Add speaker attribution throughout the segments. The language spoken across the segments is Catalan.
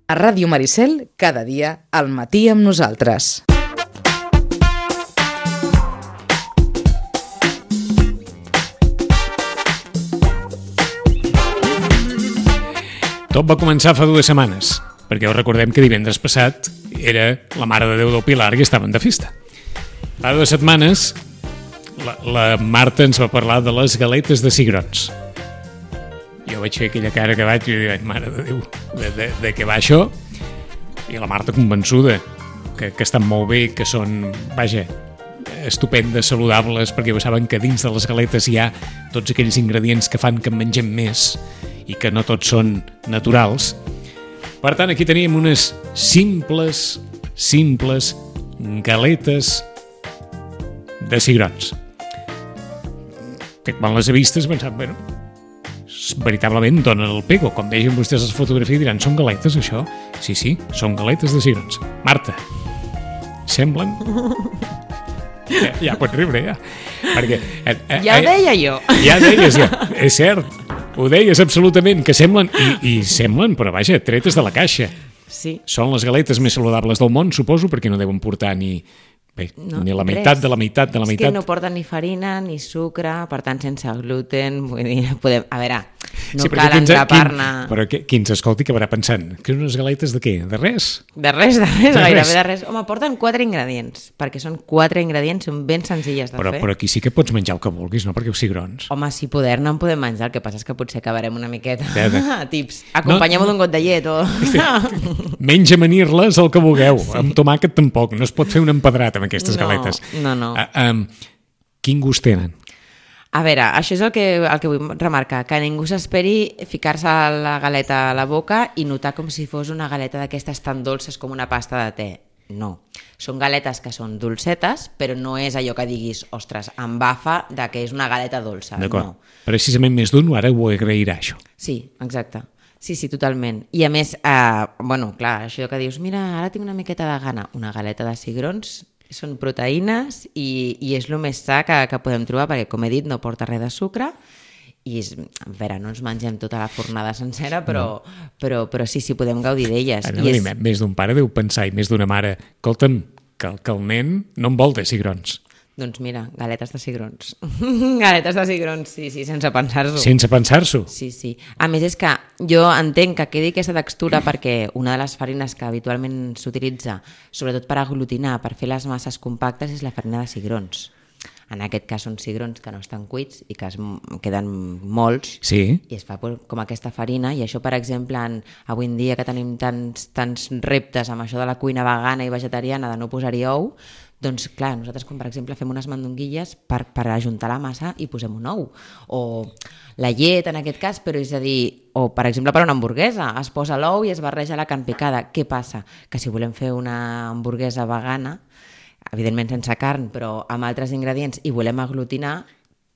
Speaker 1: A Ràdio Maricel, cada dia al matí amb nosaltres.
Speaker 2: Tot va començar fa 2 setmanes, perquè us recordem que divendres passat era la Mare de Déu del Pilar i estaven de festa. Fa 2 setmanes la Marta ens va parlar de les galetes de cigrons. Jo vaig fer aquella cara que vaig i dic, Mare de Déu, de què va això? I la Marta convençuda que estan molt bé, que són, vaja, estupendes, saludables, perquè ho saben que dins de les galetes hi ha tots aquells ingredients que fan que en mengem més i que no tots són naturals. Per tant, aquí tenim unes simples galetes de cigrons. Que quan les he vistes pensat, bueno, veritablement donen el pego. Com vegin vostès les fotografies diran, són galetes això? Sí, són galetes de cigrons. Marta, semblen? Ja pots riure, ja. Perquè,
Speaker 3: ja ho deia jo.
Speaker 2: Ja deies, ja. És cert, ho deies absolutament, que semblen, i semblen, però vaja, tretes de la caixa.
Speaker 3: Sí.
Speaker 2: Són les galetes més saludables del món, suposo, perquè no deuen portar ni la meitat de la meitat de la meitat.
Speaker 3: És que no porten ni farina ni sucre, per tant sense gluten, vull dir, podem... A veure, no cal engrapar-ne...
Speaker 2: Però qui ens escolti acabarà pensant que unes galetes de què? De res?
Speaker 3: De res, gairebé de res. Home, porten 4 ingredients, perquè són 4 ingredients, són ben senzilles de fer.
Speaker 2: Però aquí sí que pots menjar el que vulguis, no? Perquè els cigrons...
Speaker 3: Home, si poder-ne en podem menjar, el que passa és que potser acabarem una miqueta. Tips. Acompanyem-ho d'un got de llet o...
Speaker 2: Menys amanir-les el que vulgueu. Sí. Amb tomàquet tampoc. No es pot fer un empedrat amb aquestes galetes.
Speaker 3: No.
Speaker 2: Quin gust tenen?
Speaker 3: A veure, això és el que vull remarcar, que ningú s'esperi ficar-se la galeta a la boca i notar com si fos una galeta d'aquestes tan dolces com una pasta de te. No. Són galetes que són dolcetes, però no és allò que diguis, ostres, embafa de que és una galeta dolça.
Speaker 2: D'acord.
Speaker 3: No.
Speaker 2: Precisament més d'un ara ho agrairà, això.
Speaker 3: Sí, exacte. Sí, totalment. I a més, clar, això que dius, mira, ara tinc una miqueta de gana, una galeta de cigrons, són proteïnes i és el més sa que podem trobar, perquè, com he dit, no porta res de sucre i, a veure, no ens mengem tota la fornada sencera, però sí, podem gaudir d'elles.
Speaker 2: Més d'un pare deu pensar, i més d'una mare, escolta'm, que el nen no en vol de cigrons.
Speaker 3: Doncs mira, galetes de cigrons. Galetes de cigrons, sí, sense pensar-s'ho.
Speaker 2: Sense pensar-s'ho?
Speaker 3: Sí. A més, és que jo entenc que quedi aquesta textura perquè una de les farines que habitualment s'utilitza, sobretot per aglutinar, per fer les masses compactes, és la farina de cigrons. En aquest cas són cigrons que no estan cuits i que queden molts,
Speaker 2: sí.
Speaker 3: I es fa com aquesta farina, i això, per exemple, avui en dia que tenim tants reptes amb això de la cuina vegana i vegetariana de no posar-hi ou, doncs clar, nosaltres com per exemple fem unes mandonguilles per ajuntar la massa i posem un ou, o la llet en aquest cas, però és a dir, o per exemple per una hamburguesa, es posa l'ou i es barreja la carn picada. Què passa? Que si volem fer una hamburguesa vegana, evidentment sense carn, però amb altres ingredients, i volem aglutinar,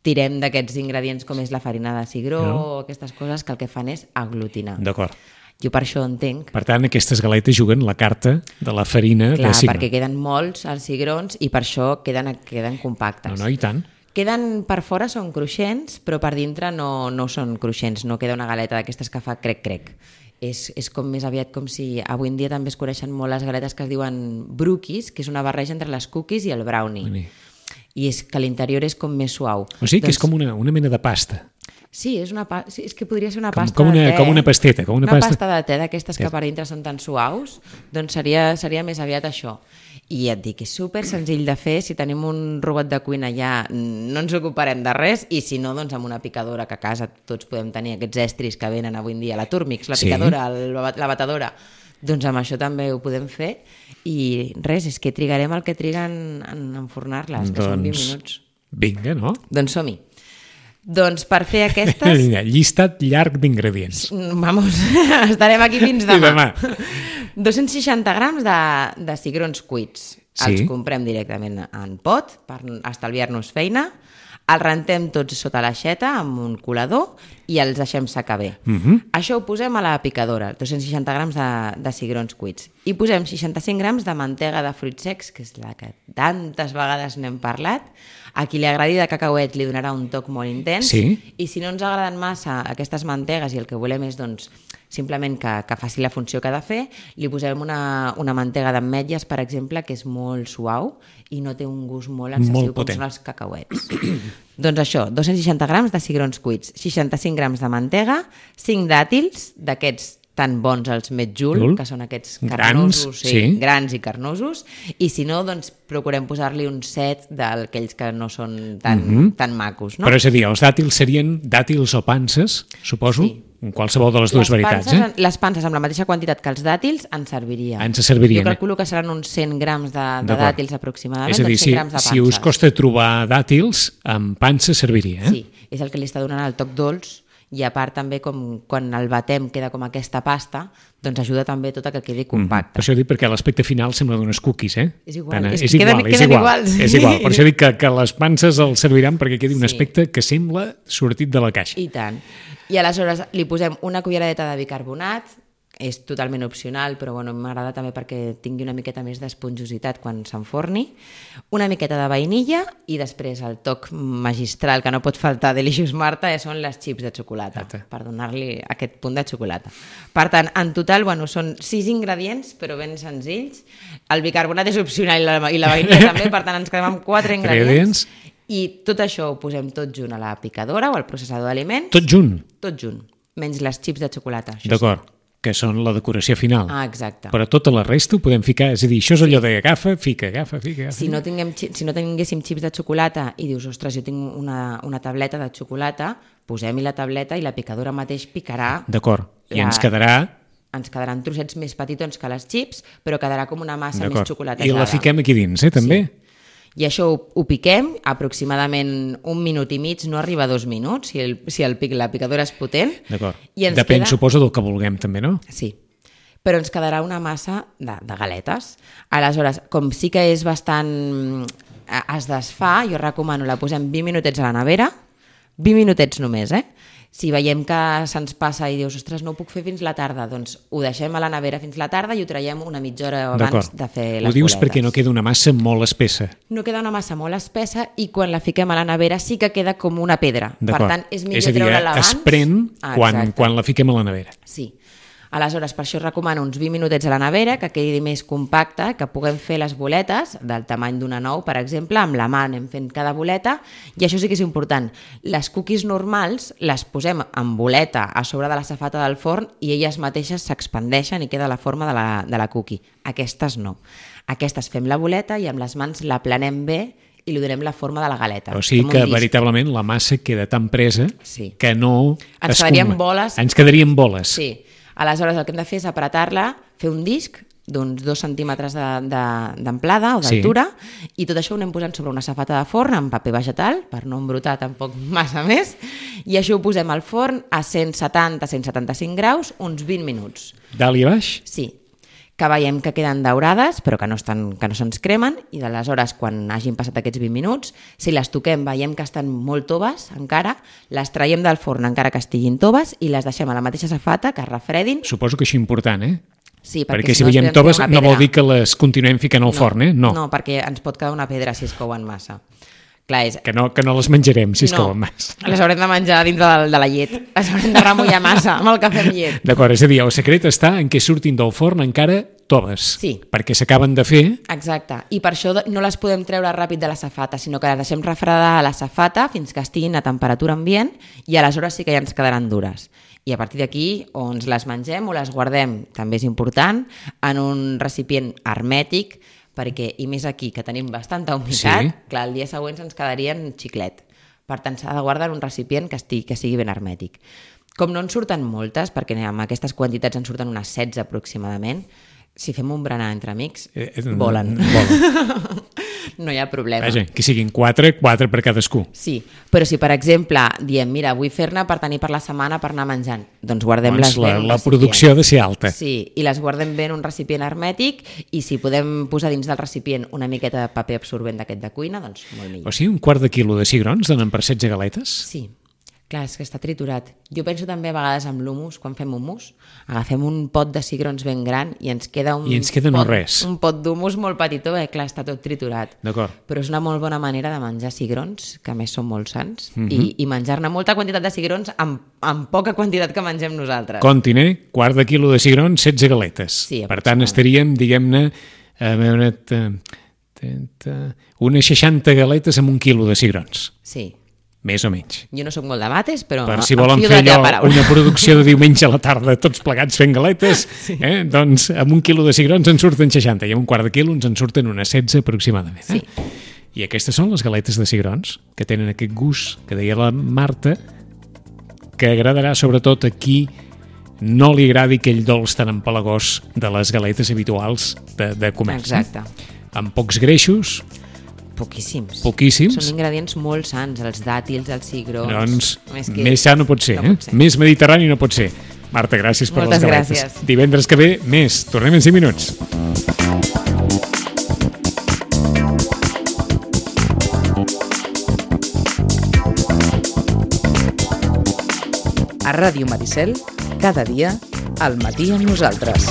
Speaker 3: tirem d'aquests ingredients com és la farina de cigró o aquestes coses que el que fan és aglutinar.
Speaker 2: D'acord.
Speaker 3: Jo per això entenc.
Speaker 2: Per tant, aquestes galetes juguen la carta de la farina de cigró.
Speaker 3: Clar, perquè queden molts els cigrons i per això queden compactes.
Speaker 2: No, i tant.
Speaker 3: Queden per fora, són cruixents, però per dintre no són cruixents, no queda una galeta d'aquestes que fa crec-crec. És com més aviat com si avui en dia també es coneixen molt les galetes que es diuen brookies, que és una barreja entre les cookies i el brownie. I és que l'interior és com més suau.
Speaker 2: O sigui que és com una mena de pasta.
Speaker 3: Sí, és que podria ser una pasta
Speaker 2: de te.
Speaker 3: Com
Speaker 2: una pasteta.
Speaker 3: Una pasta de te d'aquestes que per dintre són tan suaus, doncs seria més aviat això. I ja et dic, és super senzill de fer, si tenim un robot de cuina ja no ens ocuparem de res, i si no, doncs amb una picadora, que a casa tots podem tenir aquests estris que venen avui en dia, la Turmix, la picadora, la batedora, doncs amb això també ho podem fer, i res, és que trigarem el que triguen en enfornar-les, que són 20 minuts.
Speaker 2: Vinga, no?
Speaker 3: Doncs som-hi. Doncs per fer aquestes...
Speaker 2: Llistat llarg d'ingredients.
Speaker 3: Vamos, estarem aquí fins demà. 260 grams de cigrons cuits. Els comprem directament en pot per estalviar-nos feina. Els rentem tots sota l'aixeta amb un colador i els deixem secar bé. Això ho posem a la picadora, 260 grams de cigrons cuits. I posem 65 grams de mantega de fruits secs, que és la que tantes vegades n'hem parlat. A qui li agradi de cacauet li donarà un toc molt intens. I si no ens agraden massa aquestes mantegues i el que volem és doncs, simplement que faci la funció que ha de fer. Li posem una mantega d'ametlles, per exemple, que és molt suau i no té un gust molt excessiu com són els cacauets. Doncs això, 260 grams de cigrons cuits, 65 grams de mantega, 5 dàtils, d'aquests tan bons els Medjool, que són aquests carnosos, grans i carnosos, i si no, doncs procurem posar-li un set d'aquells que no són tan macos. No?
Speaker 2: Però és a dir, els dàtils serien dàtils o panses, suposo? Sí. Qualsevol de les dues veritats.
Speaker 3: Les panses amb la mateixa quantitat que els dàtils ens servirien.
Speaker 2: Jo
Speaker 3: calculo que seran uns 100 grams de dàtils aproximadament.
Speaker 2: És a dir, si us costa trobar dàtils, amb panses serviria.
Speaker 3: Sí, és el que li està donant el toc dolç, i a part també com quan el batem queda com aquesta pasta, doncs ajuda també tot a que quedi compacte.
Speaker 2: Per això dic, perquè l'aspecte final sembla d'unes cookies,
Speaker 3: És igual,
Speaker 2: queden iguals. És igual, per això dic que les panses els serviran perquè quedi un aspecte que sembla sortit de la caixa.
Speaker 3: I tant. I aleshores li posem una culleradeta de bicarbonat, és totalment opcional, però bueno, m'agrada també perquè tingui una miqueta més d'esponjositat quan s'enforni, una miqueta de vainilla i després el toc magistral que no pot faltar Delicious Marta són les xips de xocolata, per donar-li aquest punt de xocolata. Per tant, en total, bueno, són 6 ingredients, però ben senzills. El bicarbonat és opcional i la vainilla també, per tant ens quedem amb 4 ingredients. I tot això ho posem tot junt a la picadora o al processador d'aliments.
Speaker 2: Tot junt?
Speaker 3: Tot junt, menys les xips de xocolata.
Speaker 2: D'acord. Que són la decoració final.
Speaker 3: Exacte.
Speaker 2: Però tota la resta ho podem ficar, és a dir, això és allò de agafa, fica.
Speaker 3: Si no tinguéssim xips de xocolata i dius, ostres, jo tinc una tableta de xocolata, posem-hi la tableta i la picadora mateix picarà.
Speaker 2: D'acord, i ens quedaran
Speaker 3: trossets més petitons que les xips, però quedarà com una massa més xocolatejada.
Speaker 2: I la fiquem aquí dins, també?
Speaker 3: Sí. I això ho piquem aproximadament 1 minut i mig, no arriba a 2 minuts, si la picadora és potent.
Speaker 2: D'acord. Depèn, suposo, del que vulguem també, no?
Speaker 3: Sí. Però ens quedarà una massa de galetes. Aleshores, com sí que és bastant... es desfà, jo recomano, la posem 20 minutets a la nevera, 20 minutets només, Si veiem que se'ns passa i dius, ostres, no ho puc fer fins la tarda, doncs ho deixem a la nevera fins la tarda i ho traiem una mitja hora abans de fer les boletes.
Speaker 2: Ho dius perquè no queda una massa molt espessa.
Speaker 3: No queda una massa molt espessa i quan la fiquem a la nevera sí que queda com una pedra. Per tant, és millor treure-la abans.
Speaker 2: Es pren quan la fiquem a la nevera.
Speaker 3: Sí. Aleshores, per això recomano uns 20 minutets a la nevera, que quedi més compacta, que puguem fer les boletes del tamany d'una nou, per exemple, amb la mà anem fent cada boleta, i això sí que és important. Les cookies normals les posem en boleta a sobre de la safata del forn i elles mateixes s'expandeixen i queda la forma de la cookie. Aquestes no. Aquestes fem la boleta i amb les mans la planem bé i li donem la forma de la galeta.
Speaker 2: O sigui que veritablement la massa queda tan presa que no
Speaker 3: ens quedarien boles.
Speaker 2: Ens quedarien boles.
Speaker 3: Sí. Aleshores, el que hem de fer és apretar-la, fer un disc d'uns 2 centímetres d'amplada o d'altura i tot això ho anem posant sobre una safata de forn amb paper vegetal, per no embrutar tampoc massa més, i això ho posem al forn a 170-175 graus uns 20 minuts.
Speaker 2: Dalt i baix?
Speaker 3: Sí. Que veiem que queden daurades, però que no se'ns cremen, i d'aleshores, quan hagin passat aquests 20 minuts, si les toquem veiem que estan molt toves encara, les traiem del forn encara que estiguin toves i les deixem a la mateixa safata, que es refredin.
Speaker 2: Suposo que això és important,
Speaker 3: Sí,
Speaker 2: perquè si veiem toves no vol dir que les continuem ficant al forn, No,
Speaker 3: perquè ens pot quedar una pedra si es couen massa. Clar,
Speaker 2: que no les menjarem si es couen massa.
Speaker 3: Les haurem de menjar dins de la llet. Les haurem de remullar massa amb el cafè amb llet.
Speaker 2: D'acord, és a dir, el secret està en què surtin del forn encara toves.
Speaker 3: Sí.
Speaker 2: Perquè s'acaben de fer.
Speaker 3: Exacte. I per això no les podem treure ràpid de la safata, sinó que les deixem refredar a la safata fins que estiguin a temperatura ambient i aleshores sí que ja ens quedaran dures. I a partir d'aquí, o ens les mengem o les guardem, també és important, en un recipient hermètic, perquè, i més aquí, que tenim bastanta humitat, clar, el dia següent ens quedarien xiclet. Per tant, s'ha de guardar en un recipient que sigui ben hermètic. Com no en surten moltes, perquè amb aquestes quantitats en surten unes 16 aproximadament, si fem un berenar entre amics, volen. No hi ha problema.
Speaker 2: Vaja, que siguin 4 per cadascú.
Speaker 3: Sí, però si per exemple diem, mira, vull fer-ne per tenir per la setmana per anar menjant, doncs guardem-les bé en un recipient.
Speaker 2: La producció ha de ser alta.
Speaker 3: Sí, i les guardem bé en un recipient hermètic i si podem posar dins del recipient una miqueta de paper absorbent d'aquest de cuina, doncs molt millor.
Speaker 2: O sigui, 1/4 quilo de cigrons donen per 16 galetes?
Speaker 3: Sí. Clar, és que està triturat. Jo penso també a vegades amb l'humus, quan fem humus, agafem un pot de cigrons ben gran i ens queda un pot d'humus molt petitó, clar, està tot triturat.
Speaker 2: D'acord.
Speaker 3: Però és una molt bona manera de menjar cigrons, que a més són molt sants, i menjar-ne molta quantitat de cigrons amb poca quantitat que mengem nosaltres.
Speaker 2: Comptin, quart de quilo de cigrons, 16 galetes.
Speaker 3: Sí,
Speaker 2: per tant, estaríem, diguem-ne, unes 60 galetes amb 1 quilo de cigrons.
Speaker 3: Sí.
Speaker 2: Més o menys.
Speaker 3: Jo no sóc molt de mates, però
Speaker 2: per si volen fer allò, una producció de diumenge a la tarda, tots plegats fent galetes, doncs amb 1 quilo de cigrons en surten 60 i amb un quart de quilo ens en surten unes 16 aproximadament.
Speaker 3: Sí.
Speaker 2: I aquestes són les galetes de cigrons, que tenen aquest gust que deia la Marta, que agradarà sobretot a qui no li agradi aquell dolç tan empalagós de les galetes habituals de comerç.
Speaker 3: Exacte.
Speaker 2: Amb pocs greixos.
Speaker 3: Poquíssims.
Speaker 2: Poquíssims.
Speaker 3: Són ingredients molt sants, els dàtils, els cigrons...
Speaker 2: Doncs més sa no pot ser, Més mediterrani no pot ser. Marta, gràcies per les galetes.
Speaker 3: Gràcies.
Speaker 2: Divendres que ve, més. Tornem en 5 minuts.
Speaker 1: A Ràdio Maricel, cada dia, al matí amb nosaltres.